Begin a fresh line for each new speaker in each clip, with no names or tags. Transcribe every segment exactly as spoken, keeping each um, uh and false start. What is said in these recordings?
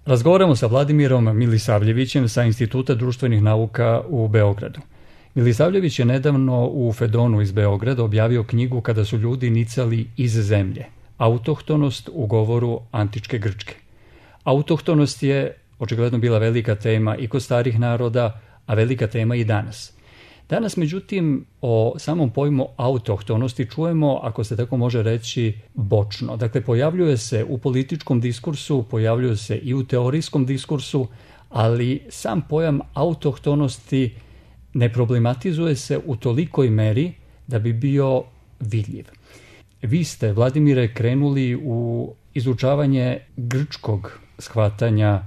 Razgovaramo sa Vladimirom Milisavljevićem sa Instituta društvenih nauka u Beogradu. Milisavljević je nedavno u Fedonu iz Beograda objavio knjigu Kada su ljudi nicali iz zemlje. Autohtonost u govoru antičke Grčke. Autohtonost je očigledno bila velika tema i kod starih naroda, a velika tema i danas. Danas, međutim, o samom pojmu autohtonosti čujemo, ako se tako može reći, bočno. Dakle, pojavljuje se u političkom diskursu, pojavljuje se i u teorijskom diskursu, ali sam pojam autohtonosti ne problematizuje se u tolikoj meri da bi bio vidljiv. Vi ste, Vladimire, krenuli u izučavanje grčkog shvatanja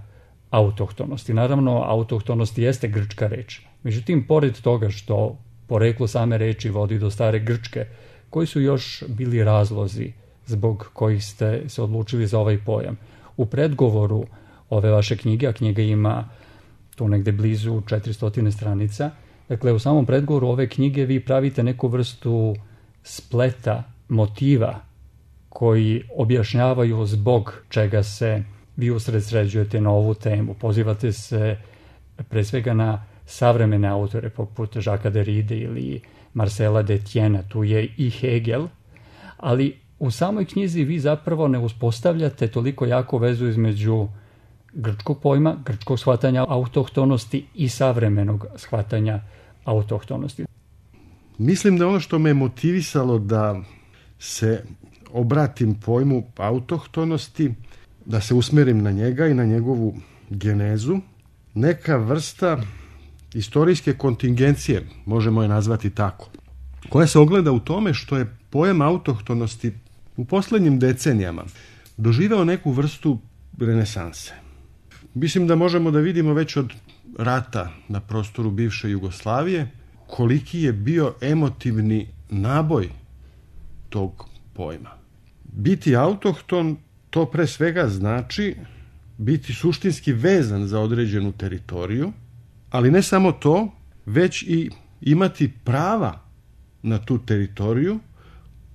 autohtonosti. Naravno, autohtonost jeste grčka reč. Međutim, pored toga što poreklo same reči vodi do stare Grčke, koji su još bili razlozi zbog kojih ste se odlučili za ovaj pojam? U predgovoru ove vaše knjige, a knjiga ima tu negde blizu četiristo stranica, dakle u samom predgovoru ove knjige vi pravite neku vrstu spleta motiva koji objašnjavaju zbog čega se vi usredsređujete na ovu temu. Pozivate se pre svega na savremene autore poput Jacquesa Derride ili Marcela Detiena, tu je i Hegel, ali u samoj knjizi vi zapravo ne uspostavljate toliko jako vezu između grčkog pojma, grčkog shvatanja autohtonosti i savremenog shvatanja autohtonosti.
Mislim da ono što me motivisalo da se obratim pojmu autohtonosti, da se usmerim na njega i na njegovu genezu, neka vrsta istorijske kontingencije, možemo je nazvati tako, koja se ogleda u tome što je pojam autohtonosti u poslednjim decenijama doživeo neku vrstu renesanse. Mislim da možemo da vidimo već od rata na prostoru bivše Jugoslavije koliki je bio emotivni naboj tog pojma. Biti autohton, to pre svega znači biti suštinski vezan za određenu teritoriju, ali ne samo to, već i imati prava na tu teritoriju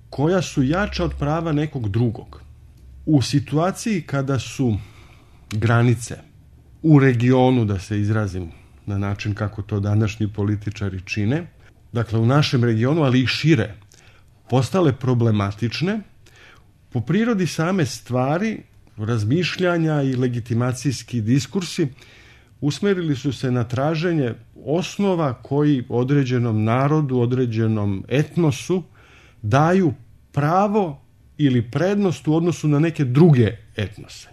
koja su jača od prava nekog drugog. U situaciji kada su granice u regionu, da se izrazim na način kako to današnji političari čine, dakle u našem regionu, ali i šire, postale problematične, po prirodi same stvari, razmišljanja i legitimacijski diskursi usmerili su se na traženje osnova koji određenom narodu, određenom etnosu daju pravo ili prednost u odnosu na neke druge etnose.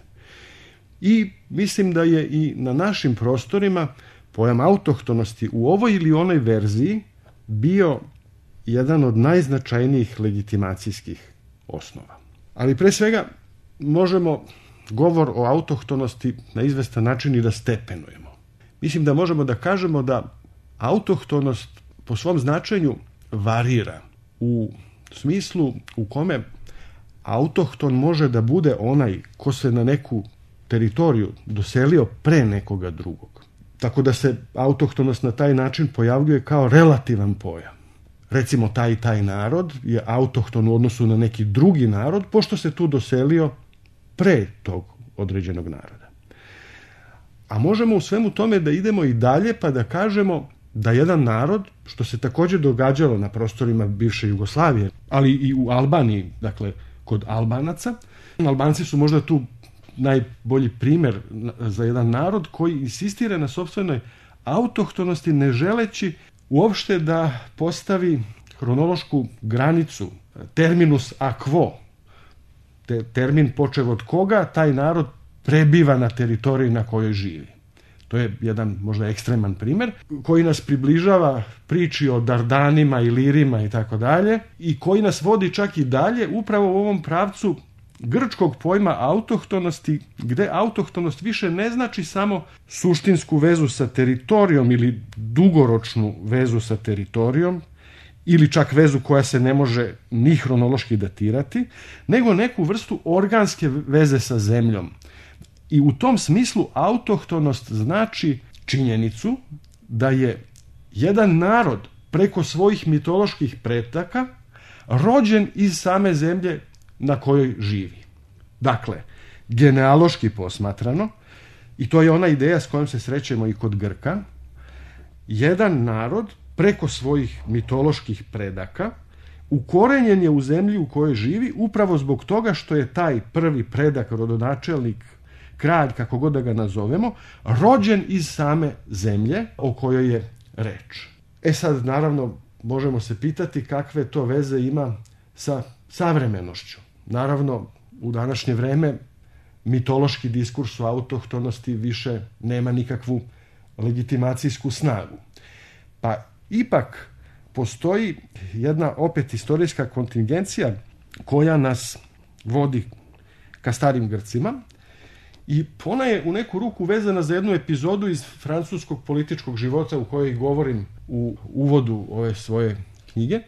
I mislim da je i na našim prostorima pojam autohtonosti u ovoj ili onoj verziji bio jedan od najznačajnijih legitimacijskih osnova. Ali pre svega možemo govor o autohtonosti na izvestan način i da stepenujemo. Mislim da možemo da kažemo da autohtonost po svom značenju varira u smislu u kome autohton može da bude onaj ko se na neku teritoriju doselio pre nekoga drugog. Tako da se autohtonost na taj način pojavljuje kao relativan pojam. Recimo, taj i taj narod je autohton u odnosu na neki drugi narod, pošto se tu doselio pre tog određenog naroda. A možemo u svemu tome da idemo i dalje pa da kažemo da jedan narod, što se također događalo na prostorima bivše Jugoslavije, ali i u Albaniji, dakle kod Albanaca, Albanci su možda tu najbolji primjer za jedan narod koji insistira na sopstvenoj autohtonosti ne želeći uopšte da postavi hronološku granicu, terminus a quo, te, termin počev od koga taj narod prebiva na teritoriji na kojoj živi. To je jedan možda ekstreman primjer koji nas približava priči o Dardanima, Ilirima i tako dalje i koji nas vodi čak i dalje upravo u ovom pravcu grčkog pojma autohtonosti, gde autohtonost više ne znači samo suštinsku vezu sa teritorijom ili dugoročnu vezu sa teritorijom ili čak vezu koja se ne može ni hronološki datirati, nego neku vrstu organske veze sa zemljom. I u tom smislu autohtonost znači činjenicu da je jedan narod preko svojih mitoloških pretaka rođen iz same zemlje na kojoj živi. Dakle, genealoški posmatrano, i to je ona ideja s kojom se srećemo i kod Grka, jedan narod preko svojih mitoloških predaka ukorenjen je u zemlji u kojoj živi upravo zbog toga što je taj prvi predak, rodonačelnik, kralj, kako god da ga nazovemo, rođen iz same zemlje o kojoj je reč. E sad, naravno, možemo se pitati kakve to veze ima sa savremenošću. Naravno, u današnje vreme mitološki diskurs o autohtonosti više nema nikakvu legitimacijsku snagu. Pa ipak postoji jedna opet istorijska kontingencija koja nas vodi ka starim Grcima i ona je u neku ruku vezana za jednu epizodu iz francuskog političkog života u kojoj govorim u uvodu ove svoje knjige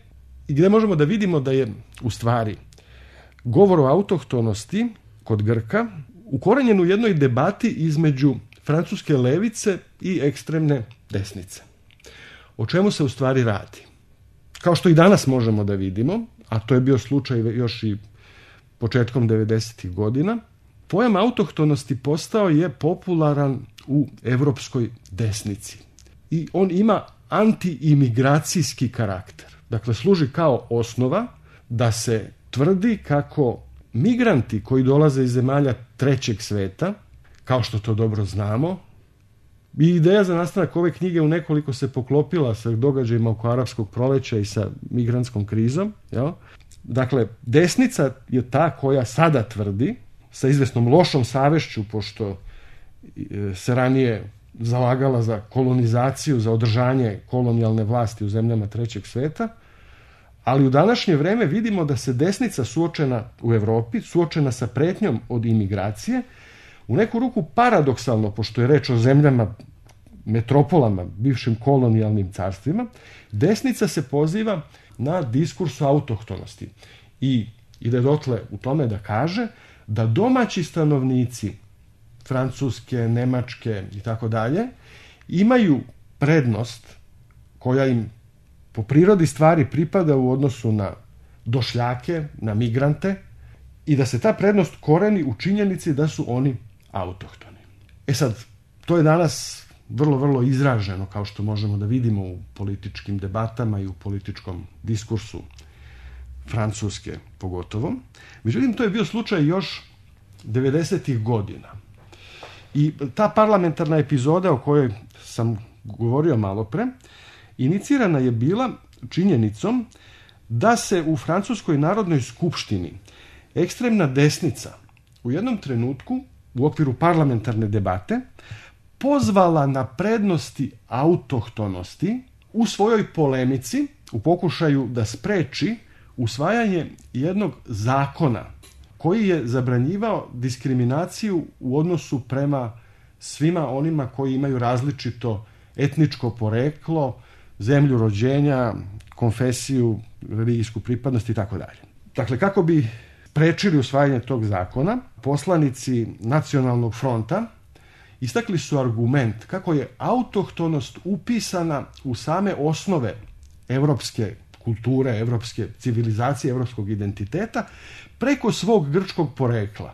i gdje možemo da vidimo da je u stvari govor o autohtonosti kod Grka ukorenjen u jednoj debati između francuske levice i ekstremne desnice. O čemu se u stvari radi? Kao što i danas možemo da vidimo, a to je bio slučaj još i početkom devedesetih godina, pojam autohtonosti postao je popularan u evropskoj desnici. I on ima antiimigracijski karakter. Dakle, služi kao osnova da se tvrdi kako migranti koji dolaze iz zemalja trećeg sveta, kao što to dobro znamo, i ideja za nastanak ove knjige u nekoliko se poklopila sa događajima oko arapskog proleća i sa migrantskom krizom. Jel? Dakle, desnica je ta koja sada tvrdi, sa izvesnom lošom savešću, pošto se ranije zalagala za kolonizaciju, za održanje kolonijalne vlasti u zemljama trećeg sveta, ali u današnje vreme vidimo da se desnica suočena u Evropi, suočena sa pretnjom od imigracije, u neku ruku paradoksalno, pošto je reč o zemljama, metropolama, bivšim kolonijalnim carstvima, desnica se poziva na diskurs o autohtonosti i ide dotle u tome da kaže da domaći stanovnici Francuske, Nemačke i tako dalje imaju prednost koja im po prirodi stvari pripada u odnosu na došljake, na migrante i da se ta prednost koreni u činjenici da su oni autohtoni. E sad, to je danas vrlo, vrlo izraženo, kao što možemo da vidimo u političkim debatama i u političkom diskursu Francuske pogotovo. Međutim, to je bio slučaj još devedesetih godina. I ta parlamentarna epizoda o kojoj sam govorio malo pre, inicirana je bila činjenicom da se u Francuskoj narodnoj skupštini ekstremna desnica u jednom trenutku u okviru parlamentarne debate pozvala na prednosti autohtonosti u svojoj polemici u pokušaju da spreči usvajanje jednog zakona koji je zabranjivao diskriminaciju u odnosu prema svima onima koji imaju različito etničko poreklo, zemlju rođenja, konfesiju, religijsku pripadnost i tako dalje. Dakle, kako bi sprečili usvajanje tog zakona, poslanici Nacionalnog fronta istakli su argument kako je autohtonost upisana u same osnove evropske kulture, evropske civilizacije, evropskog identiteta preko svog grčkog porekla.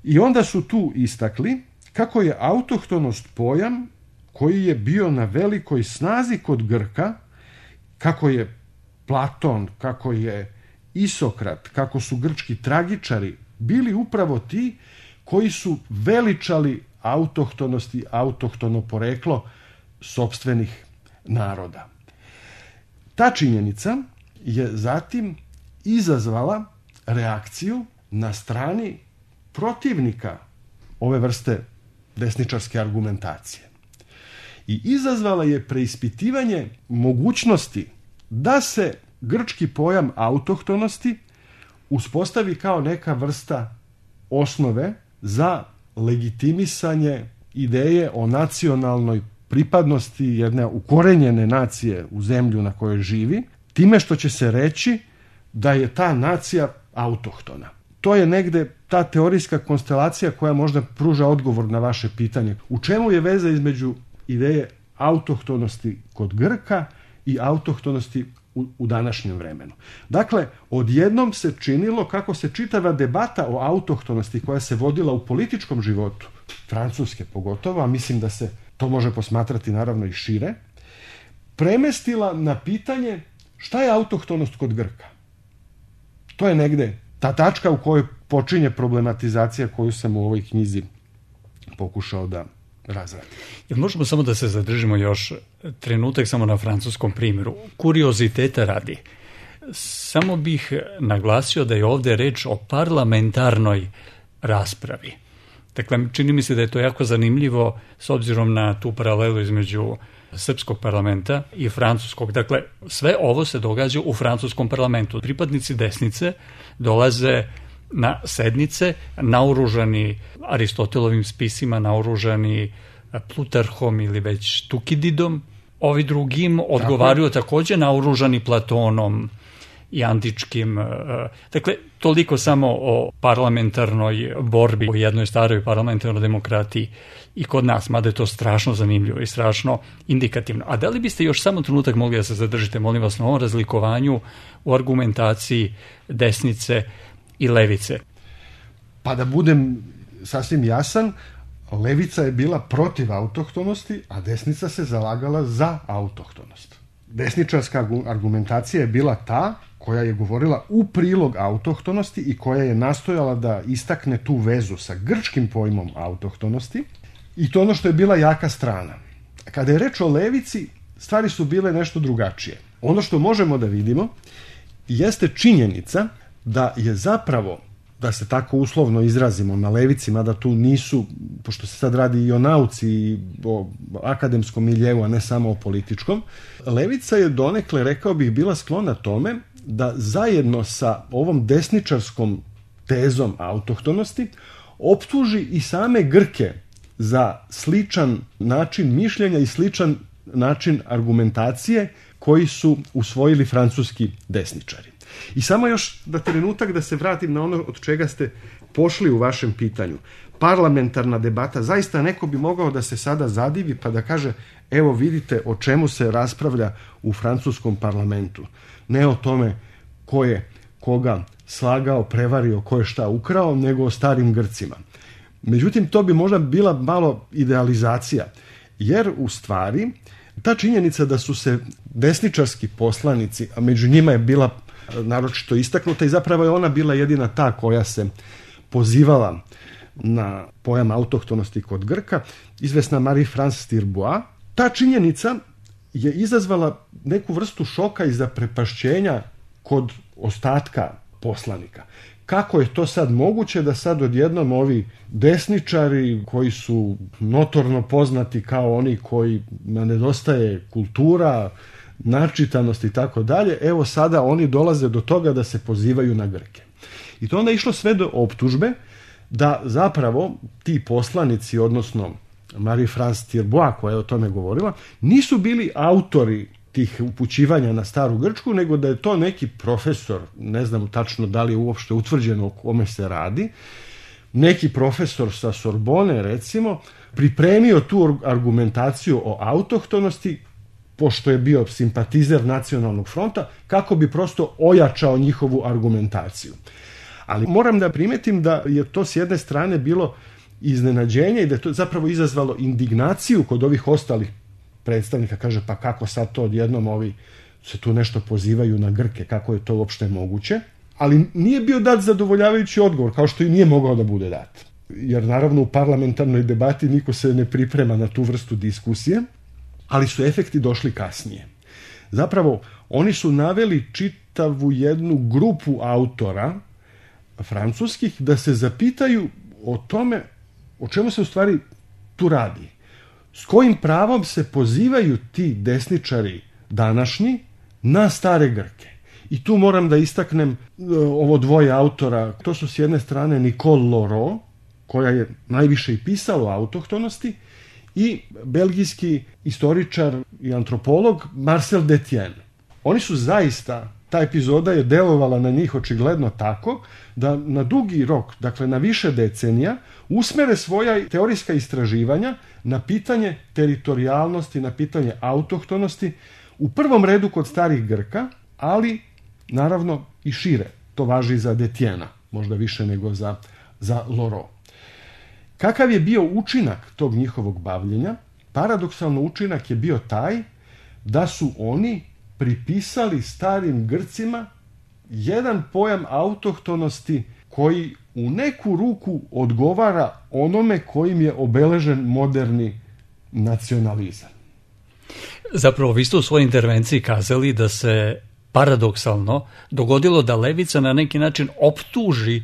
I onda su tu istakli kako je autohtonost pojam koji je bio na velikoj snazi kod Grka, kako je Platon, kako je Isokrat, kako su grčki tragičari bili upravo ti koji su veličali autohtonost i autohtono poreklo sopstvenih naroda. Ta činjenica je zatim izazvala reakciju na strani protivnika ove vrste desničarske argumentacije. I izazvala je preispitivanje mogućnosti da se grčki pojam autohtonosti uspostavi kao neka vrsta osnove za legitimisanje ideje o nacionalnoj pripadnosti jedne ukorenjene nacije u zemlju na kojoj živi, time što će se reći da je ta nacija autohtona. To je negde ta teorijska konstelacija koja možda pruža odgovor na vaše pitanje. U čemu je veza između ideje autohtonosti kod Grka i autohtonosti u, u današnjem vremenu? Dakle, odjednom se činilo kako se čitava debata o autohtonosti koja se vodila u političkom životu Francuske pogotovo, a mislim da se to može posmatrati naravno i šire, premestila na pitanje šta je autohtonost kod Grka. To je negde ta tačka u kojoj počinje problematizacija koju sam u ovoj knjizi pokušao da razradim.
Jel možemo samo da se zadržimo još trenutak samo na francuskom primjeru? Kurioziteta radi. Samo bih naglasio da je ovdje reč o parlamentarnoj raspravi. Dakle, čini mi se da je to jako zanimljivo s obzirom na tu paralelu između srpskog parlamenta i francuskog. Dakle, sve ovo se događa u francuskom parlamentu. Pripadnici desnice dolaze na sednice naoružani Aristotelovim spisima, naoružani Plutarhom ili već Tukididom. Ovi drugim odgovaraju također naoružani Platonom i antičkim. Dakle, toliko samo o parlamentarnoj borbi, o jednoj staroj parlamentarnoj demokratiji i kod nas, mada je to strašno zanimljivo i strašno indikativno. A da li biste još samo trenutak mogli da se zadržite, molim vas, na ovom razlikovanju u argumentaciji desnice i levice?
Pa da budem sasvim jasan, levica je bila protiv autohtonosti, a desnica se zalagala za autohtonost. Desničarska argumentacija je bila ta koja je govorila u prilog autohtonosti i koja je nastojala da istakne tu vezu sa grčkim pojmom autohtonosti, i to ono što je bila jaka strana. Kada je reč o levici, stvari su bile nešto drugačije. Ono što možemo da vidimo jeste činjenica da je zapravo, da se tako uslovno izrazimo, na levici, mada tu nisu, pošto se sad radi i o nauci i o akademskom miljeu, a ne samo o političkom, levica je donekle, rekao bih, bila sklona tome da zajedno sa ovom desničarskom tezom autohtonosti optuži i same Grke za sličan način mišljenja i sličan način argumentacije koji su usvojili francuski desničari. I samo još da trenutak da se vratim na ono od čega ste pošli u vašem pitanju. Parlamentarna debata, zaista neko bi mogao da se sada zadivi pa da kaže, evo vidite o čemu se raspravlja u francuskom parlamentu. Ne o tome ko je koga slagao, prevario, ko je šta ukrao, nego o starim Grcima. Međutim, to bi možda bila malo idealizacija, jer u stvari ta činjenica da su se desničarski poslanici, a među njima je bila naročito istaknuta i zapravo je ona bila jedina ta koja se pozivala na pojam autohtonosti kod Grka, izvesna Marie-France Tirbois. Ta činjenica je izazvala neku vrstu šoka i zaprepašćenja kod ostatka poslanika. Kako je to sad moguće da sad odjednom ovi desničari koji su notorno poznati kao oni kojima nedostaje kultura, načitanost i tako dalje, evo sada oni dolaze do toga da se pozivaju na Grke. I to onda išlo sve do optužbe da zapravo ti poslanici, odnosno Marie-France Tirbois koja je o tome govorila, nisu bili autori tih upućivanja na staru Grčku, nego da je to neki profesor, ne znam tačno da li je uopšte utvrđeno o kome se radi, neki profesor sa Sorbone recimo, pripremio tu argumentaciju o autohtonosti, pošto je bio simpatizer Nacionalnog fronta, kako bi prosto ojačao njihovu argumentaciju. Ali moram da primetim da je to s jedne strane bilo iznenađenje i da je to zapravo izazvalo indignaciju kod ovih ostalih predstavnika. Kaže, pa kako sad to odjednom ovi se tu nešto pozivaju na Grke, kako je to uopšte moguće? Ali nije bio dat zadovoljavajući odgovor, kao što i nije mogao da bude dat. Jer naravno u parlamentarnoj debati niko se ne priprema na tu vrstu diskusije, ali su efekti došli kasnije. Zapravo, oni su naveli čitavu jednu grupu autora francuskih da se zapitaju o tome o čemu se u stvari tu radi. S kojim pravom se pozivaju ti desničari današnji na stare Grke. I tu moram da istaknem ovo dvoje autora. To su s jedne strane Nicole Laurent, koja je najviše i pisala o autohtonosti, i belgijski istoričar i antropolog Marcel Detienne. Oni su zaista, ta epizoda je delovala na njih očigledno tako da na dugi rok, dakle na više decenija, usmere svoja teorijska istraživanja na pitanje teritorijalnosti, na pitanje autohtonosti, u prvom redu kod starih Grka, ali naravno i šire. To važi za Detiena, možda više nego za, za Laurent. Kakav je bio učinak tog njihovog bavljenja? Paradoksalno učinak je bio taj da su oni pripisali starim Grcima jedan pojam autohtonosti koji u neku ruku odgovara onome kojim je obeležen moderni nacionalizam.
Zapravo, vi ste u svojoj intervenciji kazali da se paradoksalno dogodilo da levica na neki način optuži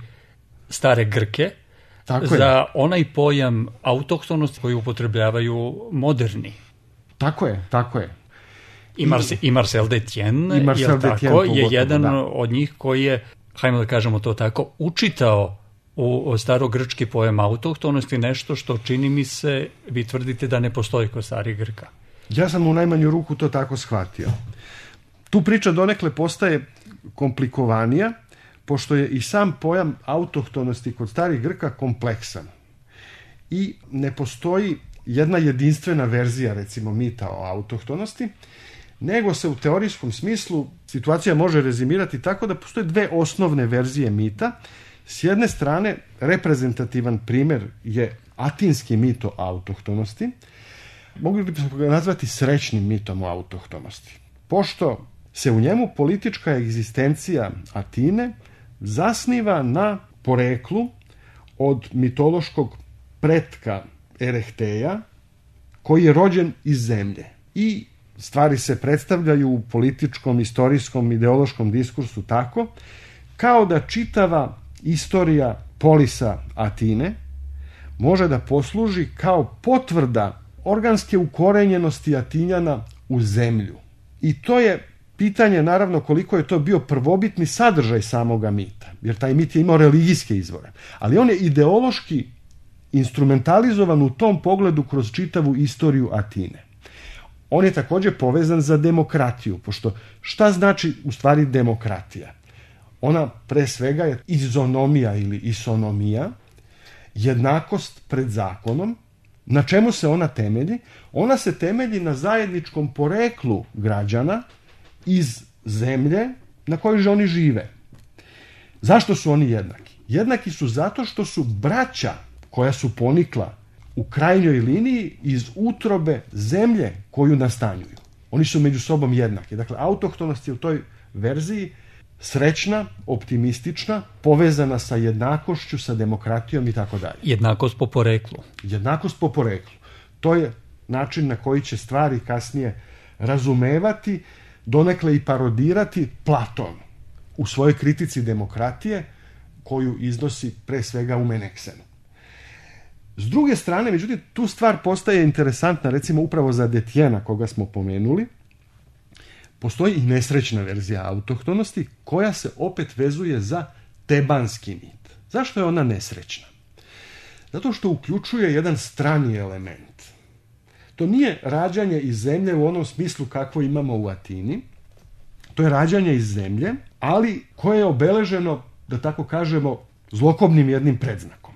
stare Grke Tako za je. onaj pojam autohtonosti koji upotrebljavaju moderni.
Tako je, tako je.
I, Marse, i Marcel Détienne, I Marcel Détienne tako, je jedan da. od njih koji je, hajmo da kažemo to tako, učitao u starogrčki pojam autohtonosti, nešto što čini mi se, vi tvrdite da ne postoji kod starih Grka.
Ja sam u najmanju ruku to tako shvatio. Tu priča donekle postaje komplikovanija, pošto je i sam pojam autohtonosti kod starih Grka kompleksan. I ne postoji jedna jedinstvena verzija, recimo, mita o autohtonosti, nego se u teorijskom smislu situacija može rezimirati tako da postoje dve osnovne verzije mita. S jedne strane, reprezentativan primjer je atinski mit o autohtonosti. Mogli bismo ga nazvati srećnim mitom o autohtonosti. Pošto se u njemu politička egzistencija Atine zasniva na poreklu od mitološkog pretka Erehtheja, koji je rođen iz zemlje. I stvari se predstavljaju u političkom, istorijskom, ideološkom diskursu tako, kao da čitava istorija polisa Atine može da posluži kao potvrda organske ukorenjenosti Atinjana u zemlju. I to je pitanje, naravno, koliko je to bio prvobitni sadržaj samoga mita, jer taj mit je imao religijske izvore. Ali on je ideološki instrumentalizovan u tom pogledu kroz čitavu istoriju Atine. On je također povezan za demokratiju, pošto šta znači u stvari demokratija? Ona pre svega je izonomija ili isonomija, jednakost pred zakonom. Na čemu se ona temelji? Ona se temelji na zajedničkom poreklu građana iz zemlje na kojoj oni žive. Zašto su oni jednaki? Jednaki su zato što su braća koja su ponikla u krajnjoj liniji iz utrobe zemlje koju nastanjuju. Oni su među sobom jednaki. Dakle, autohtonost je u toj verziji srećna, optimistična, povezana sa jednakošću, sa demokratijom i tako dalje.
Jednakost po poreklu.
Jednakost po poreklu. To je način na koji će stvari kasnije razumevati, donekle i parodirati Platon u svojoj kritici demokratije, koju iznosi pre svega u Meneksenu. S druge strane, međutim, tu stvar postaje interesantna, recimo upravo za Détiennea, koga smo pomenuli. Postoji i nesrećna verzija autohtonosti, koja se opet vezuje za tebanski mit. Zašto je ona nesrećna? Zato što uključuje jedan strani element. To nije rađanje iz zemlje u onom smislu kakvo imamo u Atini. To je rađanje iz zemlje, ali koje je obeleženo, da tako kažemo, zlokobnim jednim predznakom.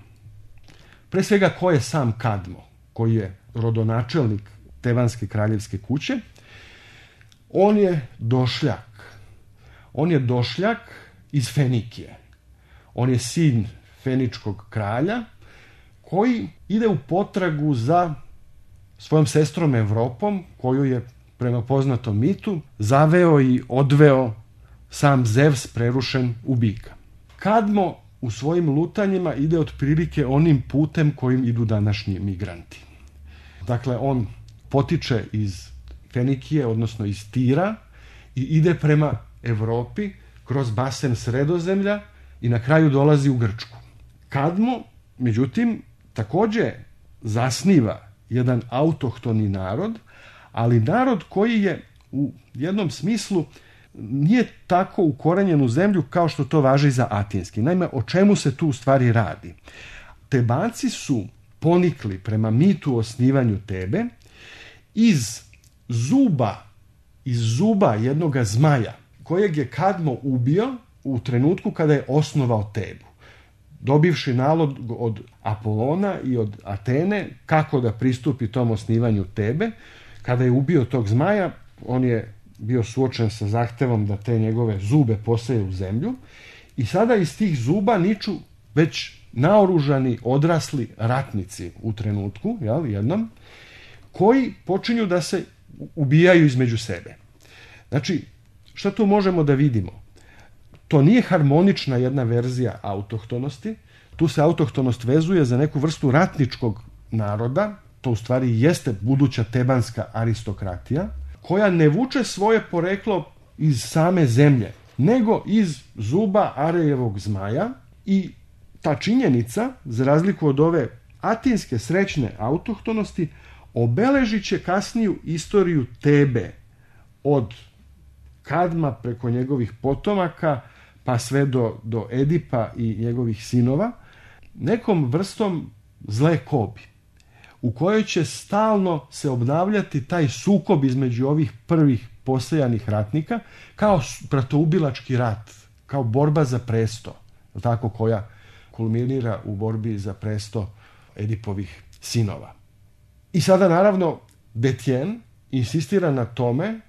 Pre svega, ko je sam Kadmo, koji je rodonačelnik tebanske kraljevske kuće? On je došljak. On je došljak iz Fenikije. On je sin feničkog kralja koji ide u potragu za svojom sestrom Evropom, koju je prema poznatom mitu zaveo i odveo sam Zevs prerušen u bika. Kadmo u svojim lutanjima ide otprilike onim putem kojim idu današnji migranti. Dakle, on potiče iz Fenikije, odnosno iz Tira, i ide prema Evropi kroz basen Sredozemlja i na kraju dolazi u Grčku. Kadmo, međutim, također zasniva jedan autohtoni narod, ali narod koji je u jednom smislu nije tako ukorenjen u zemlju kao što to važi za atinski. Naime, o čemu se tu u stvari radi? Tebanci su ponikli prema mitu o osnivanju Tebe iz zuba, iz zuba jednoga zmaja, kojeg je Kadmo ubio u trenutku kada je osnovao Tebu, dobivši nalog od Apolona i od Atene kako da pristupi tom osnivanju Tebe. Kada je ubio tog zmaja, on je bio suočen sa zahtevom da te njegove zube poseje u zemlju i sada iz tih zuba niču već naoružani, odrasli ratnici u trenutku, jel, jednom, koji počinju da se ubijaju između sebe. Znači, šta tu možemo da vidimo? To nije harmonična jedna verzija autohtonosti, tu se autohtonost vezuje za neku vrstu ratničkog naroda, to u stvari jeste buduća tebanska aristokratija, koja ne vuče svoje poreklo iz same zemlje, nego iz zuba Arejevog zmaja, i ta činjenica, za razliku od ove atinske srećne autohtonosti, obeležit će kasniju istoriju Tebe od Kadma preko njegovih potomaka pa sve do, do Edipa i njegovih sinova, nekom vrstom zle kobi, u kojoj će stalno se obnavljati taj sukob između ovih prvih posejanih ratnika, kao bratoubilački rat, kao borba za presto, tako, koja kulminira u borbi za presto Edipovih sinova. I sada, naravno, Detjen insistira na tome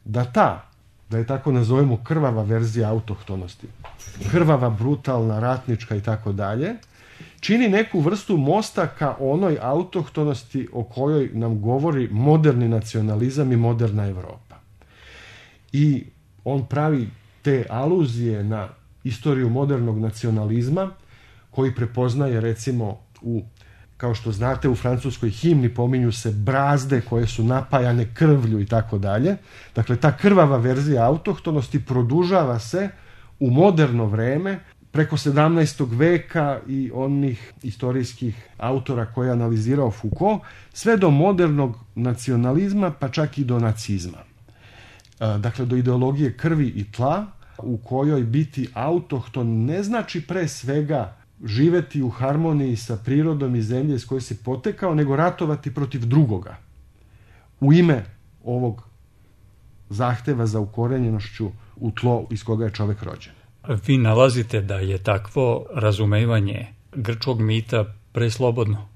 da ta, da je tako nazovemo, krvava verzija autohtonosti, krvava, brutalna, ratnička i tako dalje, čini neku vrstu mosta ka onoj autohtonosti o kojoj nam govori moderni nacionalizam i moderna Evropa. I on pravi te aluzije na istoriju modernog nacionalizma, koji prepoznaje, recimo, u, kao što znate, u francuskoj himni pominju se brazde koje su napajane krvlju i tako dalje. Dakle, ta krvava verzija autohtonosti produžava se u moderno vreme preko sedamnaestog veka i onih istorijskih autora koje je analizirao Foucault, sve do modernog nacionalizma, pa čak i do nacizma. Dakle, do ideologije krvi i tla, u kojoj biti autohton ne znači pre svega živeti u harmoniji sa prirodom i zemlje s koje si potekao, nego ratovati protiv drugoga u ime ovog zahteva za ukorenjenošću u tlo iz koga je čovek rođen.
Vi nalazite da je takvo razumevanje grčkog mita preslobodno?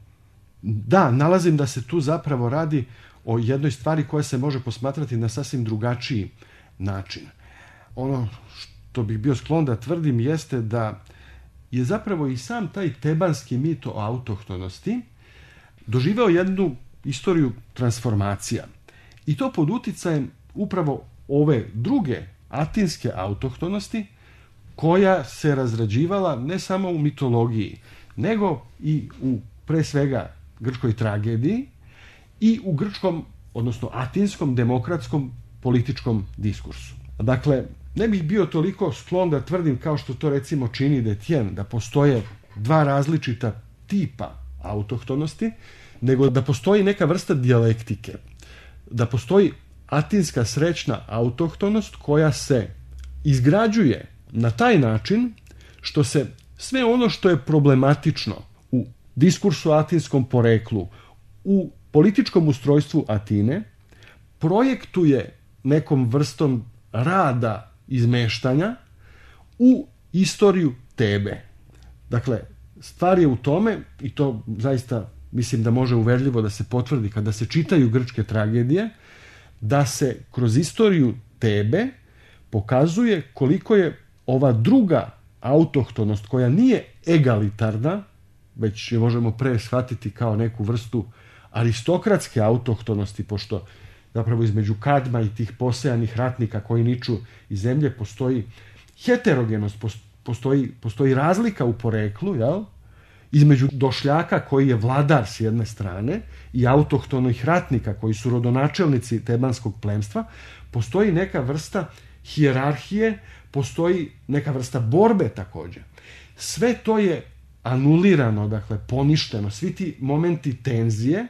Da, nalazim da se tu zapravo radi o jednoj stvari koja se može posmatrati na sasvim drugačiji način. Ono što bih bio sklon da tvrdim jeste da je zapravo i sam taj tebanski mit o autohtonosti doživeo jednu istoriju transformacija. I to pod uticajem upravo ove druge atinske autohtonosti, koja se razrađivala ne samo u mitologiji, nego i u, pre svega, grčkoj tragediji i u grčkom, odnosno atinskom, demokratskom političkom diskursu. Dakle, ne bih bio toliko sklon da tvrdim, kao što to recimo čini Detjen, da postoje dva različita tipa autohtonosti, nego da postoji neka vrsta dijalektike, da postoji atinska srećna autohtonost koja se izgrađuje na taj način što se sve ono što je problematično u diskursu atinskom poreklu, u političkom ustrojstvu Atine, projektuje nekom vrstom rada izmeštanja u istoriju Tebe. Dakle, stvar je u tome, i to zaista mislim da može uverljivo da se potvrdi kada se čitaju grčke tragedije, da se kroz istoriju Tebe pokazuje koliko je ova druga autohtonost, koja nije egalitarna, već je možemo pre shvatiti kao neku vrstu aristokratske autohtonosti, pošto zapravo između Kadma i tih posejanih ratnika koji niču iz zemlje postoji heterogenost, postoji, postoji razlika u poreklu, jel? Između došljaka koji je vladar s jedne strane i autohtonih ratnika koji su rodonačelnici tebanskog plemstva, postoji neka vrsta hijerarhije, postoji neka vrsta borbe također. Sve to je anulirano, dakle poništeno, svi ti momenti tenzije,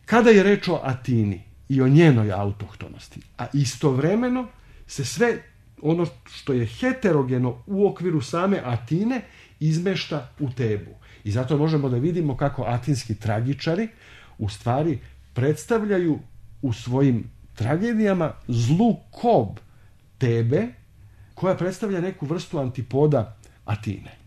kada je reč o Atini i o njenoj autohtonosti. A istovremeno se sve ono što je heterogeno u okviru same Atine izmešta u Tebu. I zato možemo da vidimo kako atinski tragičari u stvari predstavljaju u svojim tragedijama zlu kob Tebe, koja predstavlja neku vrstu antipoda Atine.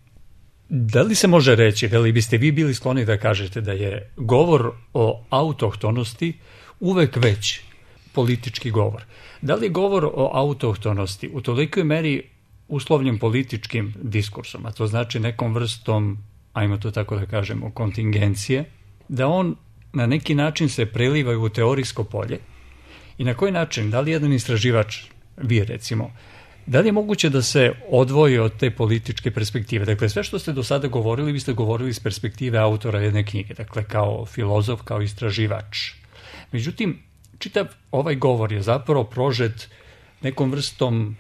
Da li se može reći, da li biste vi bili skloni da kažete da je govor o autohtonosti uvek već politički govor? Da li je govor o autohtonosti u tolikoj meri uslovljen političkim diskursom, a to znači nekom vrstom ajmo to tako da kažemo, kontingencije, da on na neki način se preliva u teorijsko polje i na koji način, da li jedan istraživač, vi recimo, da li je moguće da se odvoji od te političke perspektive? Dakle, sve što ste do sada govorili, vi ste govorili iz perspektive autora jedne knjige, dakle kao filozof, kao istraživač. Međutim, čitav ovaj govor je zapravo prožet nekom vrstom,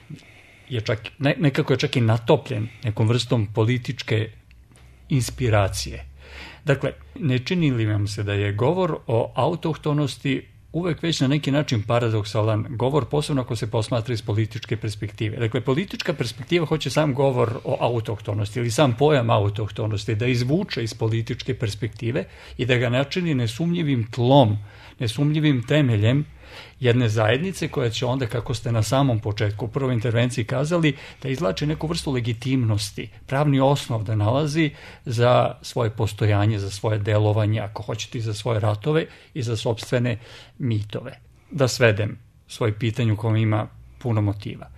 je čak, ne, nekako je čak i natopljen nekom vrstom političke inspiracije. Dakle, ne čini li vam se da je govor o autohtonosti uvek već na neki način paradoksalan govor, posebno ako se posmatra iz političke perspektive. Dakle, politička perspektiva hoće sam govor o autohtonosti ili sam pojam autohtonosti da izvuče iz političke perspektive i da ga načini nesumnjivim tlom, nesumnjivim temeljem jedne zajednice koja će onda, kako ste na samom početku u prvoj intervenciji kazali, da izvlači neku vrstu legitimnosti, pravni osnov da nalazi za svoje postojanje, za svoje delovanje, ako hoćete i za svoje ratove i za sopstvene mitove. Da svedem svoje pitanje u kojem ima puno motiva.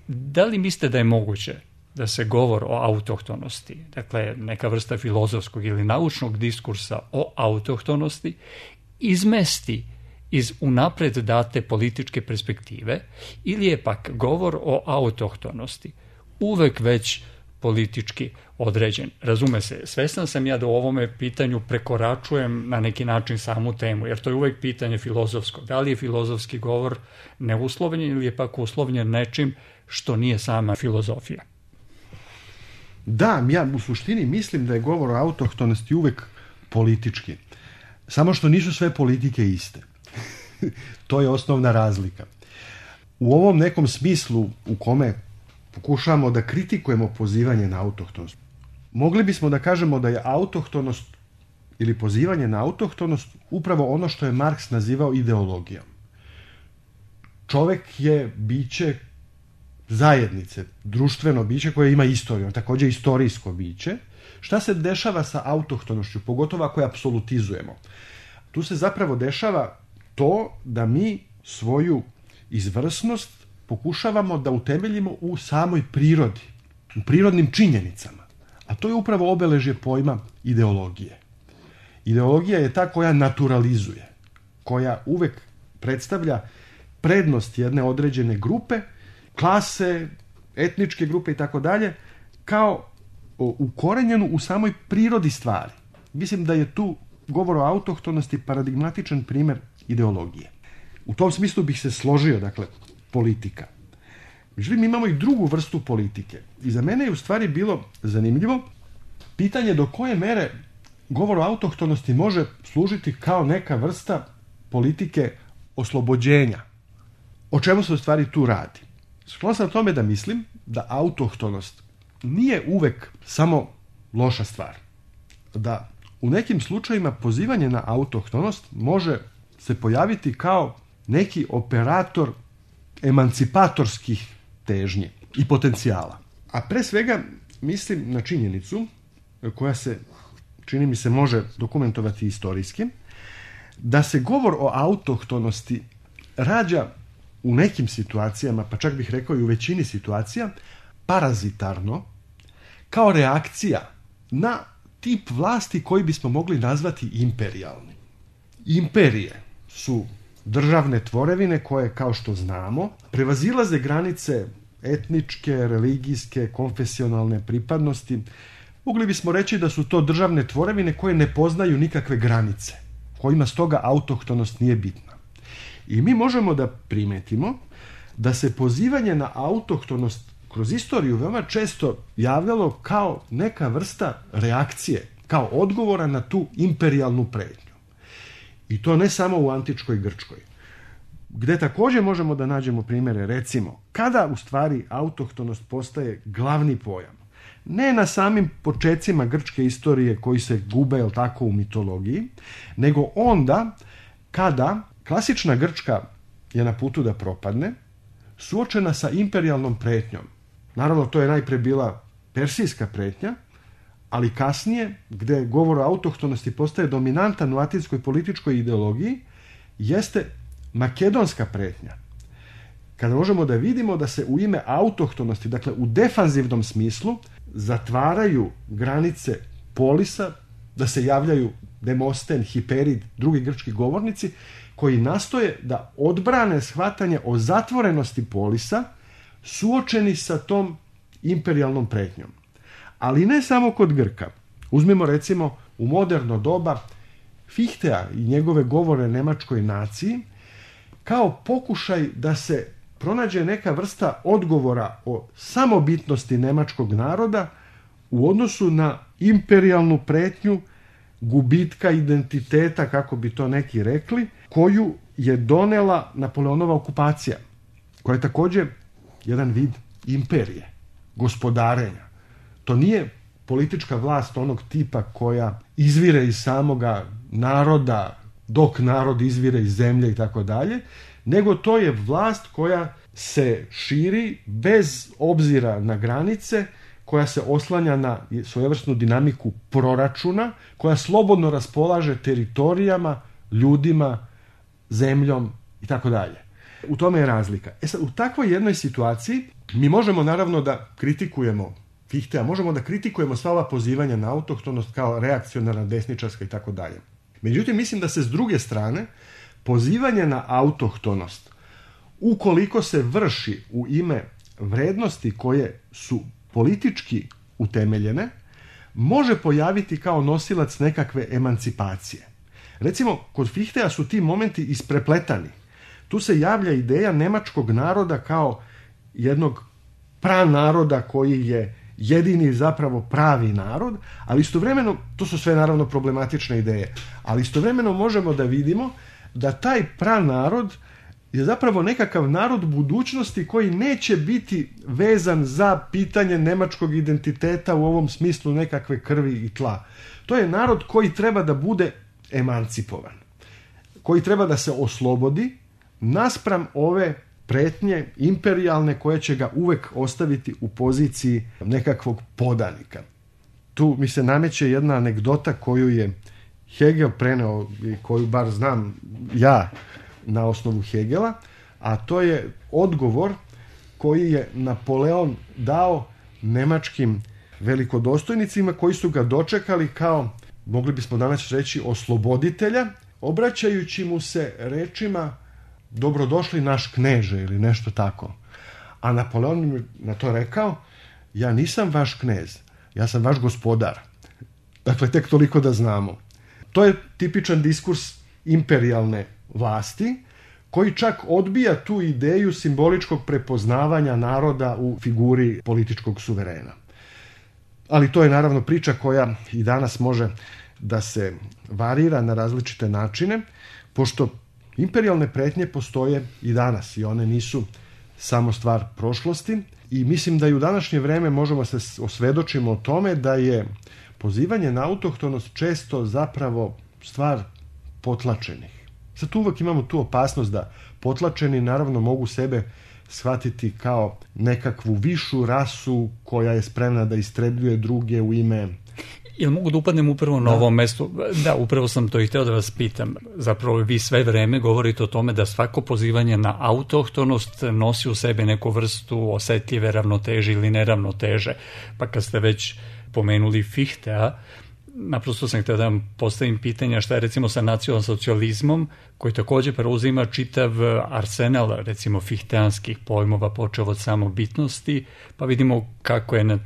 Da li mislite da je moguće da se govor o autohtonosti, dakle neka vrsta filozofskog ili naučnog diskursa o autohtonosti, izmesti iz unapred date političke perspektive, ili je pak govor o autohtonosti uvek već politički određen? Razume se, svestan sam ja da u ovome pitanju prekoračujem na neki način samu temu, jer to je uvek pitanje filozofsko. Da li je filozofski govor neuslovljen ili je pak uslovljen nečim što nije sama filozofija?
Da, ja u suštini mislim da je govor o autohtonosti uvek politički. Samo što nisu sve politike iste. To je osnovna razlika. U ovom nekom smislu u kome pokušavamo da kritikujemo pozivanje na autohtonost, mogli bismo da kažemo da je autohtonost ili pozivanje na autohtonost upravo ono što je Marks nazivao ideologijom. Čovek je biće zajednice, društveno biće koje ima istoriju, također istorijsko biće. Šta se dešava sa autohtonošću, pogotovo ako je apsolutizujemo? Tu se zapravo dešava to da mi svoju izvrsnost pokušavamo da utemeljimo u samoj prirodi, u prirodnim činjenicama. A to je upravo obeležje pojma ideologije. Ideologija je ta koja naturalizuje, koja uvek predstavlja prednost jedne određene grupe, klase, etničke grupe i tako dalje, kao ukorenjenu u samoj prirodi stvari. Mislim da je tu govor o autohtonosti paradigmatičan primjer ideologije. U tom smislu bih se složio, dakle, politika. Međutim, imamo i drugu vrstu politike. I za mene je u stvari bilo zanimljivo pitanje do koje mere govor o autohtonosti može služiti kao neka vrsta politike oslobođenja. O čemu se u stvari tu radi? Sklon sam tome da mislim da autohtonost nije uvek samo loša stvar. Da u nekim slučajima pozivanje na autohtonost može se pojaviti kao neki operator emancipatorskih težnji i potencijala. A pre svega mislim na činjenicu koja se, čini mi se, može dokumentovati istorijski, da se govor o autohtonosti rađa u nekim situacijama, pa čak bih rekao i u većini situacija, parazitarno, kao reakcija na tip vlasti koji bismo mogli nazvati imperijalni. Imperije su državne tvorevine koje, kao što znamo, prevazilaze granice etničke, religijske, konfesionalne pripadnosti. Mogli bismo reći da su to državne tvorevine koje ne poznaju nikakve granice, kojima stoga autohtonost nije bitna. I mi možemo da primetimo da se pozivanje na autohtonost kroz istoriju veoma često javljalo kao neka vrsta reakcije, kao odgovora na tu imperijalnu pretnju. I to ne samo u antičkoj Grčkoj, gde također možemo da nađemo primjere, recimo, kada u stvari autohtonost postaje glavni pojam. Ne na samim počecima grčke istorije koji se gube, jel tako, u mitologiji, nego onda kada klasična Grčka je na putu da propadne, suočena sa imperijalnom pretnjom. Naravno, to je najpre bila persijska pretnja, ali kasnije, gde govor o autohtonosti postaje dominantan u atinskoj političkoj ideologiji, jeste makedonska pretnja. Kada možemo da vidimo da se u ime autohtonosti, dakle u defanzivnom smislu, zatvaraju granice polisa, da se javljaju Demosten, Hiperid, drugi grčki govornici, koji nastoje da odbrane shvatanje o zatvorenosti polisa suočeni sa tom imperijalnom pretnjom. Ali ne samo kod Grka. Uzmimo recimo u moderno doba Fichtea i njegove govore nemačkoj naciji kao pokušaj da se pronađe neka vrsta odgovora o samobitnosti nemačkog naroda u odnosu na imperijalnu pretnju gubitka identiteta, kako bi to neki rekli, koju je donela Napoleonova okupacija, koja je također jedan vid imperije, gospodarenja. To nije politička vlast onog tipa koja izvire iz samoga naroda, dok narod izvire iz zemlje i tako dalje, nego to je vlast koja se širi bez obzira na granice, koja se oslanja na svojevrsnu dinamiku proračuna, koja slobodno raspolaže teritorijama, ljudima, zemljom i tako dalje. U tome je razlika. E sad, u takvoj jednoj situaciji mi možemo naravno da kritikujemo Fichtea, možemo da kritikujemo sva ova pozivanja na autohtonost kao reakcionarna, desničarska i tako dalje. Međutim, mislim da se s druge strane pozivanje na autohtonost, ukoliko se vrši u ime vrednosti koje su politički utemeljene, može pojaviti kao nosilac nekakve emancipacije. Recimo, kod Fichtea su ti momenti isprepletani. Tu se javlja ideja nemačkog naroda kao jednog pranaroda koji je jedini zapravo pravi narod, ali istovremeno, to su sve naravno problematične ideje, ali istovremeno možemo da vidimo da taj pranarod je zapravo nekakav narod budućnosti koji neće biti vezan za pitanje nemačkog identiteta u ovom smislu nekakve krvi i tla. To je narod koji treba da bude emancipovan, koji treba da se oslobodi naspram ove pretnje imperijalne koje će ga uvek ostaviti u poziciji nekakvog podanika. Tu mi se nameće jedna anegdota koju je Hegel preneo i koju bar znam ja na osnovu Hegela, a to je odgovor koji je Napoleon dao nemačkim velikodostojnicima koji su ga dočekali kao, mogli bismo danas reći, osloboditelja, obraćajući mu se rečima dobrodošli naš kneže ili nešto tako. A Napoleon mi na to rekao, ja nisam vaš knez, ja sam vaš gospodar. Dakle, tek toliko da znamo. To je tipičan diskurs imperijalne vlasti, koji čak odbija tu ideju simboličkog prepoznavanja naroda u figuri političkog suverena. Ali to je naravno priča koja i danas može da se varira na različite načine, pošto imperijalne pretnje postoje i danas i one nisu samo stvar prošlosti i mislim da i u današnje vreme možemo se osvedočimo o tome da je pozivanje na autohtonost često zapravo stvar potlačenih. Sad tu uvek imamo tu opasnost da potlačeni naravno mogu sebe shvatiti kao nekakvu višu rasu koja je spremna da istrebljuje druge u ime...
Jel mogu da upadnem upravo na da. Ovom mestu? Da, upravo sam to i hteo da vas pitam. Zapravo vi sve vreme govorite o tome da svako pozivanje na autohtonost nosi u sebi neku vrstu osetljive ravnoteže ili neravnoteže. Pa kad ste već pomenuli Fichtea, naprosto sam htio da vam postavim pitanja šta je recimo sa nacionalsocijalizmom, koji također preuzima čitav arsenal recimo fihteanskih pojmova, počeo od samobitnosti, pa vidimo kako je,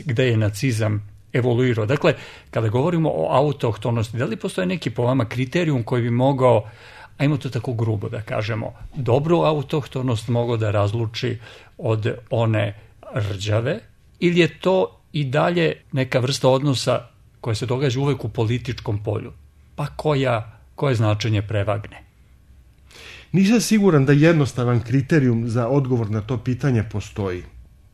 gde je nacizam evoluirao. Dakle, kada govorimo o autohtonosti, da li postoje neki po vama kriterijum koji bi mogao, ajmo to tako grubo da kažemo, dobru autohtonost mogao da razluči od one rđave, ili je to i dalje neka vrsta odnosa koja se događa uvek u političkom polju, pa koja, koje značenje prevagne?
Nisam siguran da jednostavan kriterijum za odgovor na to pitanje postoji.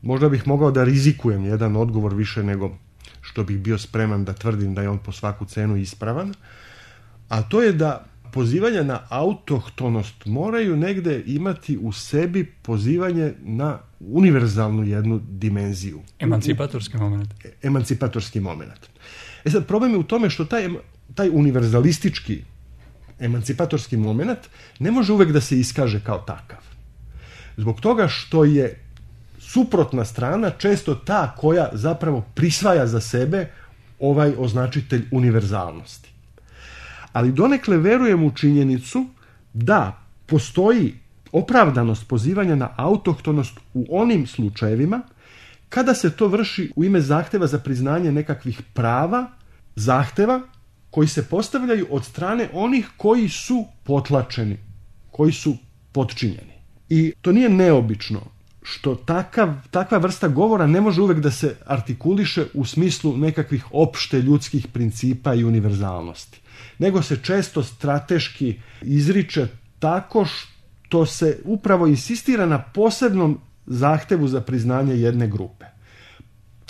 Možda bih mogao da rizikujem jedan odgovor više nego što bih bio spreman da tvrdim da je on po svaku cenu ispravan, a to je da pozivanja na autohtonost moraju negde imati u sebi pozivanje na univerzalnu jednu dimenziju.
Emancipatorski moment.
Emancipatorski moment. E sad, problem je u tome što taj, taj univerzalistički emancipatorski moment ne može uvek da se iskaže kao takav. Zbog toga što je suprotna strana često ta koja zapravo prisvaja za sebe ovaj označitelj univerzalnosti. Ali donekle verujem u činjenicu da postoji opravdanost pozivanja na autohtonost u onim slučajevima kada se to vrši u ime zahteva za priznanje nekakvih prava, zahteva koji se postavljaju od strane onih koji su potlačeni, koji su potčinjeni. I to nije neobično što takav, takva vrsta govora ne može uvek da se artikuliše u smislu nekakvih opšte ljudskih principa i univerzalnosti, nego se često strateški izriče tako što se upravo insistira na posebnom zahtevu za priznanje jedne grupe.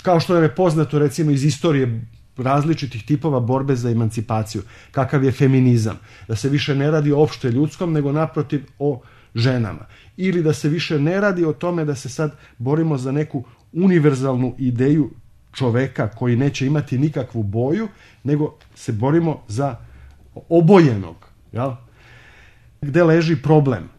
Kao što nam je poznato recimo iz istorije različitih tipova borbe za emancipaciju, kakav je feminizam, da se više ne radi o opšte ljudskom, nego naprotiv o ženama. Ili da se više ne radi o tome da se sad borimo za neku univerzalnu ideju čoveka koji neće imati nikakvu boju, nego se borimo za obojenog. Jel? Gde leži problem?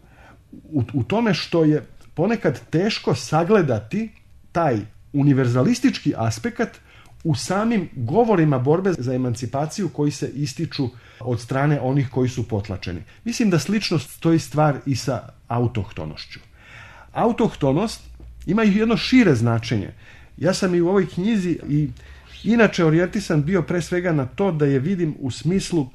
U, u tome što je ponekad teško sagledati taj univerzalistički aspekt u samim govorima borbe za emancipaciju koji se ističu od strane onih koji su potlačeni. Mislim da slično stoji stvar i sa autohtonošću. Autohtonost ima i jedno šire značenje. Ja sam i u ovoj knjizi i inače orijentisan bio pre svega na to da je vidim u smislu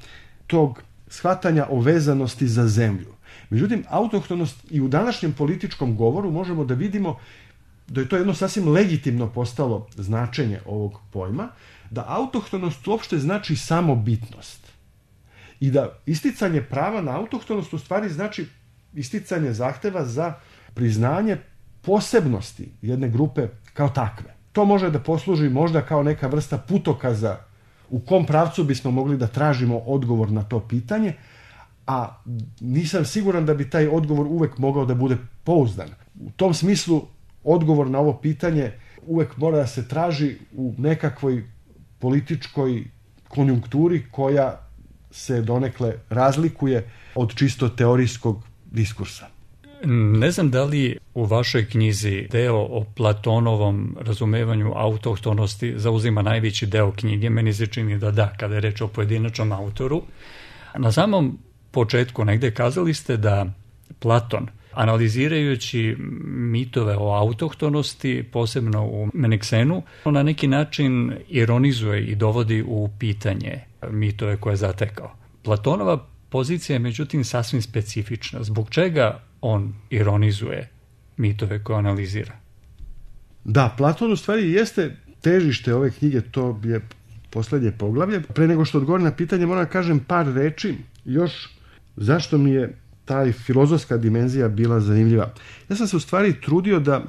tog shvatanja o vezanosti za zemlju. Međutim, autohtonost i u današnjem političkom govoru možemo da vidimo da je to jedno sasvim legitimno postalo značenje ovog pojma, da autohtonost uopšte znači samobitnost. I da isticanje prava na autohtonost u stvari znači isticanje zahteva za priznanje posebnosti jedne grupe kao takve. To može da posluži možda kao neka vrsta putokaza u kom pravcu bismo mogli da tražimo odgovor na to pitanje, a nisam siguran da bi taj odgovor uvek mogao da bude pouzdan. U tom smislu odgovor na ovo pitanje uvek mora da se traži u nekakvoj političkoj konjunkturi koja se donekle razlikuje od čisto teorijskog diskursa.
Ne znam da li u vašoj knjizi deo o Platonovom razumevanju autohtonosti zauzima najveći deo knjige. Meni se čini da da, kada je reč o pojedinačnom autoru. Na samom početku negde kazali ste da Platon, analizirajući mitove o autohtonosti, posebno u Menexenu, na neki način ironizuje i dovodi u pitanje mitove koje je zatekao. Platonova pozicija je međutim sasvim specifična. Zbog čega on ironizuje mitove koje analizira?
Da, Platon u stvari jeste težište ove knjige, to je poslednje poglavlje. Pre nego što odgovorim na pitanje, moram da kažem par reči još zašto mi je ta filozofska dimenzija bila zanimljiva. Ja sam se u stvari trudio da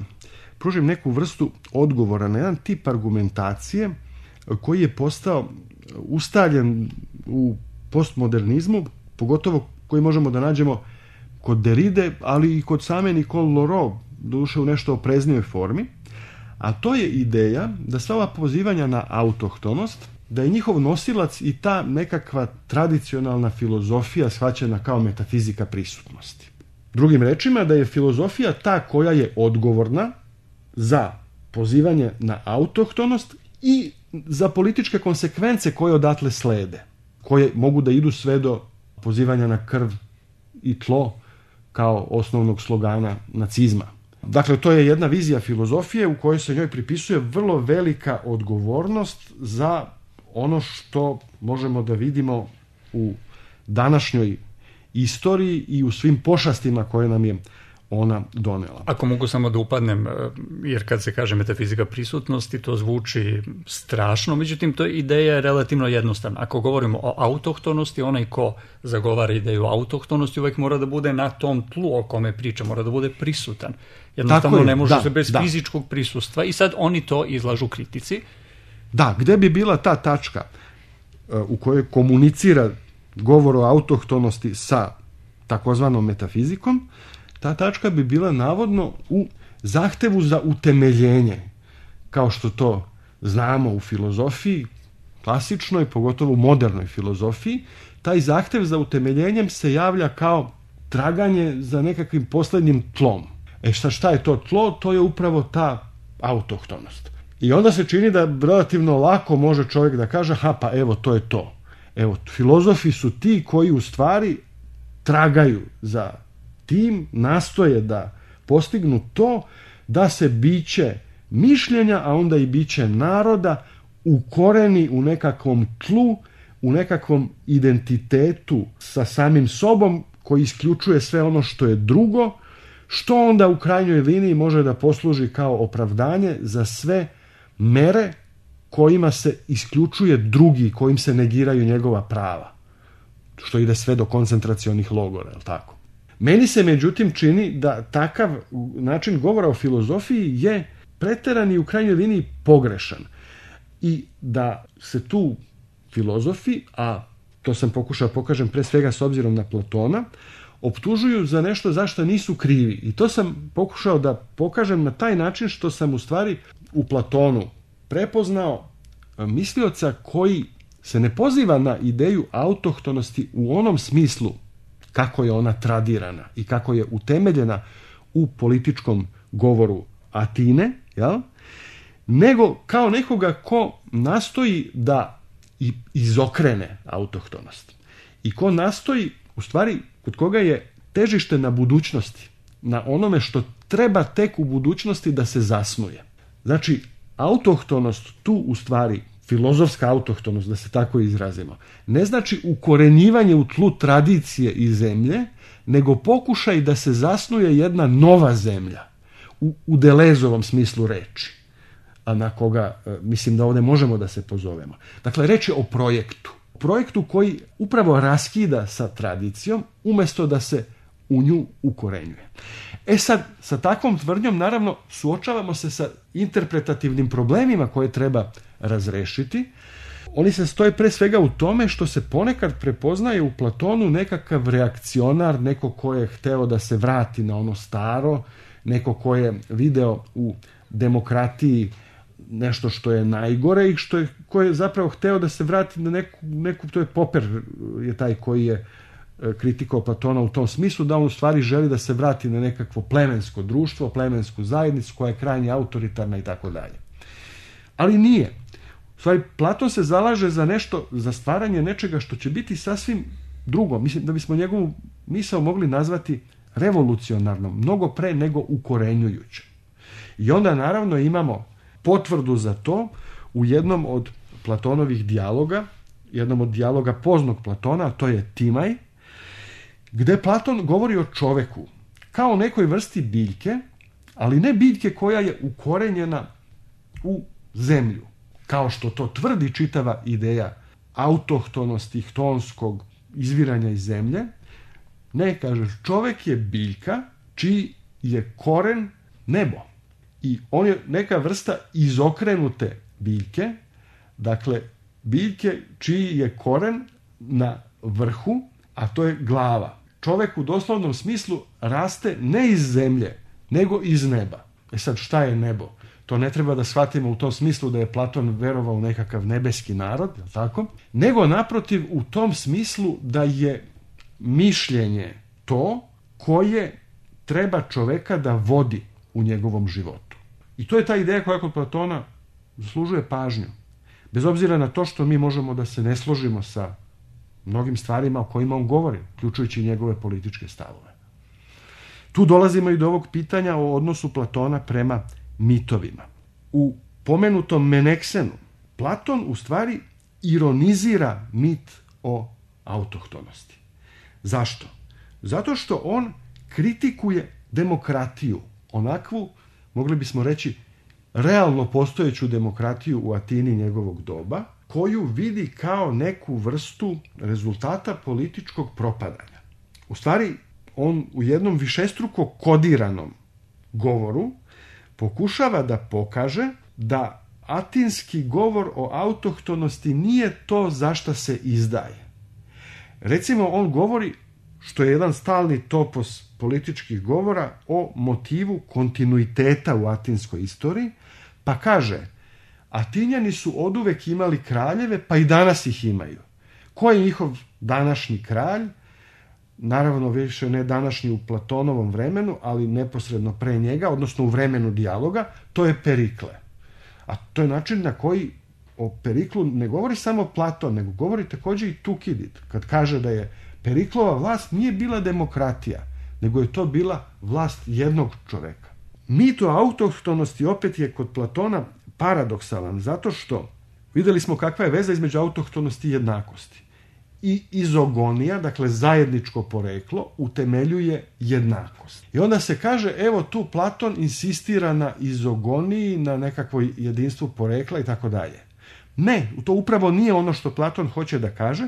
pružim neku vrstu odgovora na jedan tip argumentacije koji je postao ustaljen u postmodernizmu, pogotovo koji možemo da nađemo kod Derride, ali i kod same Nicole Laurent, doduše u nešto opreznijoj formi, a to je ideja da sva ova pozivanja na autohtonost, da je njihov nosilac i ta nekakva tradicionalna filozofija shvaćena kao metafizika prisutnosti. Drugim rečima, da je filozofija ta koja je odgovorna za pozivanje na autohtonost i za političke konsekvence koje odatle slede, koje mogu da idu sve do pozivanja na krv i tlo kao osnovnog slogana nacizma. Dakle, to je jedna vizija filozofije u kojoj se njoj pripisuje vrlo velika odgovornost za ono što možemo da vidimo u današnjoj istoriji i u svim pošastima koje nam je ona donela.
Ako mogu samo da upadnem, jer kad se kaže metafizika prisutnosti, to zvuči strašno, međutim, to ideja je relativno jednostavna. Ako govorimo o autohtonosti, onaj ko zagovara ideju autohtonosti uvek mora da bude na tom tlu o kome priča, mora da bude prisutan. Jednostavno ne može da, se bez da. fizičkog prisustva i sad oni to izlažu kritici.
Da, gde bi bila ta tačka u kojoj komunicira govor o autohtonosti sa takozvanom metafizikom, ta tačka bi bila navodno u zahtevu za utemeljenje, kao što to znamo u filozofiji, klasičnoj, pogotovo u modernoj filozofiji. Taj zahtev za utemeljenjem se javlja kao traganje za nekakvim poslednjim tlom. E šta, šta je to tlo? To je upravo ta autohtonost. I onda se čini da relativno lako može čovjek da kaže, ha pa evo to je to. Evo, filozofi su ti koji u stvari tragaju za tim, nastoje da postignu to da se biće mišljenja, a onda i biće naroda ukoreni u nekakvom tlu, u nekakvom identitetu sa samim sobom koji isključuje sve ono što je drugo, što onda u krajnjoj liniji može da posluži kao opravdanje za sve mere kojima se isključuje drugi, kojim se negiraju njegova prava, što ide sve do koncentracionih logora, je li tako? Meni se međutim čini da takav način govora o filozofiji je preteran i u krajnjoj liniji pogrešan i da se tu filozofi, a to sam pokušao pokažem pre svega s obzirom na Platona, optužuju za nešto za što nisu krivi. I to sam pokušao da pokažem na taj način što sam u stvari u Platonu prepoznao mislioca koji se ne poziva na ideju autohtonosti u onom smislu kako je ona tradirana i kako je utemeljena u političkom govoru Atine, jel? Nego kao nekoga ko nastoji da izokrene autohtonost i ko nastoji, u stvari, kod koga je težište na budućnosti, na onome što treba tek u budućnosti da se zasnuje. Znači, autohtonost tu u stvari, filozofska autohtonost, da se tako izrazimo, ne znači ukorenjivanje u tlu tradicije i zemlje, nego pokušaj da se zasnuje jedna nova zemlja u, u Delezovom smislu reči, a na koga mislim da ovdje možemo da se pozovemo. Dakle, reč je o projektu. Projektu koji upravo raskida sa tradicijom umjesto da se u nju ukorenjuje. E sad, sa takvom tvrdnjom naravno suočavamo se sa interpretativnim problemima koje treba razrešiti. Oni se stoje pre svega u tome što se ponekad prepoznaje u Platonu nekakav reakcionar, neko ko je hteo da se vrati na ono staro, neko ko je video u demokratiji nešto što je najgore i što je, ko je zapravo hteo da se vrati na neku, neku, to je Popper je taj koji je kritikao Platona u tom smislu da on u stvari želi da se vrati na nekakvo plemensko društvo, plemensku zajednicu koja je krajnje autoritarna i tako dalje. Ali nije. U stvari, Platon se zalaže za nešto, za stvaranje nečega što će biti sasvim drugo. Mislim da bismo njegovu misao mogli nazvati revolucionarnom, mnogo pre nego ukorenjujuće. I onda naravno imamo potvrdu za to u jednom od Platonovih dijaloga, jednom od dijaloga poznog Platona, a to je Timaj, gde Platon govori o čoveku kao nekoj vrsti biljke, ali ne biljke koja je ukorenjena u zemlju, kao što to tvrdi čitava ideja autohtonosti, htonskog izviranja iz zemlje. Ne, kaže, čovek je biljka čiji je koren nebo. I on je neka vrsta izokrenute biljke, dakle, biljke čiji je koren na vrhu, a to je glava. Čovek u doslovnom smislu raste ne iz zemlje, nego iz neba. E sad, šta je nebo? To ne treba da shvatimo u tom smislu da je Platon verovao u nekakav nebeski narod, je li tako? Nego naprotiv u tom smislu da je mišljenje to koje treba čoveka da vodi u njegovom životu. I to je ta ideja koja kod Platona zaslužuje pažnju. Bez obzira na to što mi možemo da se ne složimo sa mnogim stvarima o kojima on govori, uključujući njegove političke stavove. Tu dolazimo i do ovog pitanja o odnosu Platona prema mitovima. U pomenutom Meneksenu Platon u stvari ironizira mit o autohtonosti. Zašto? Zato što on kritikuje demokratiju, onakvu, mogli bismo reći, realno postojeću demokratiju u Atini njegovog doba, koju vidi kao neku vrstu rezultata političkog propadanja. U stvari, on u jednom višestruko kodiranom govoru pokušava da pokaže da atinski govor o autohtonosti nije to za šta se izdaje. Recimo, on govori, što je jedan stalni topos političkih govora, o motivu kontinuiteta u atinskoj istoriji, pa kaže, Atinjani su oduvek imali kraljeve, pa i danas ih imaju. Ko je njihov današnji kralj? Naravno, više ne današnji u Platonovom vremenu, ali neposredno pre njega, odnosno u vremenu dijaloga, to je Perikle. A to je način na koji o Periklu ne govori samo Platon, nego govori također i Tukidid, kad kaže da je Periklova vlast nije bila demokratija, nego je to bila vlast jednog čoveka. Mit o autohtonosti opet je kod Platona paradoksalan, zato što vidjeli smo kakva je veza između autohtonosti i jednakosti. I izogonija, dakle zajedničko poreklo, utemeljuje jednakost. I onda se kaže, evo tu Platon insistira na izogoniji, na nekakvo jedinstvu porekla i tako dalje. Ne, to upravo nije ono što Platon hoće da kaže.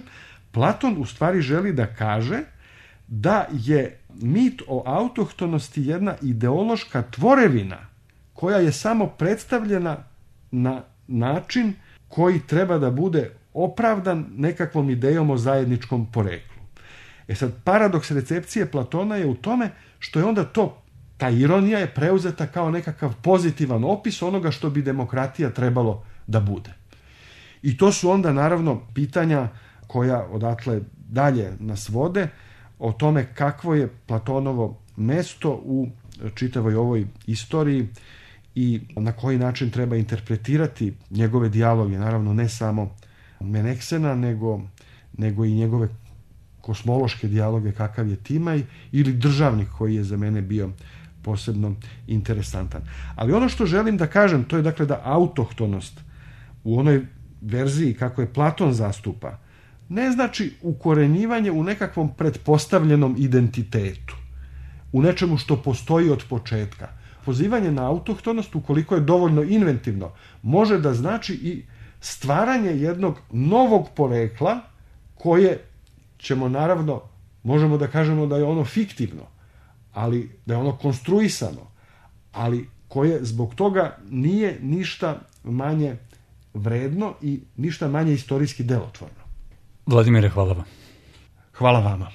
Platon u stvari želi da kaže da je mit o autohtonosti jedna ideološka tvorevina koja je samo predstavljena na način koji treba da bude opravdan nekakvom idejom o zajedničkom poreklu. E sad, paradoks recepcije Platona je u tome što je onda to, ta ironija je preuzeta kao nekakav pozitivan opis onoga što bi demokratija trebalo da bude. I to su onda naravno pitanja koja odatle dalje nas vode o tome kakvo je Platonovo mesto u čitavoj ovoj istoriji i na koji način treba interpretirati njegove dijaloge, naravno ne samo Meneksena, nego, nego i njegove kosmološke dijaloge kakav je Timaj ili Državnik koji je za mene bio posebno interesantan. Ali ono što želim da kažem, to je dakle da autohtonost u onoj verziji kako je Platon zastupa, ne znači ukorenjivanje u nekakvom pretpostavljenom identitetu, u nečemu što postoji od početka. Pozivanje na autohtonost, ukoliko je dovoljno inventivno, može da znači i stvaranje jednog novog porekla koje ćemo naravno, možemo da kažemo da je ono fiktivno, ali da je ono konstruisano, ali koje zbog toga nije ništa manje vredno i ništa manje istorijski delotvorno.
Vladimire, hvala vam.
Hvala vama.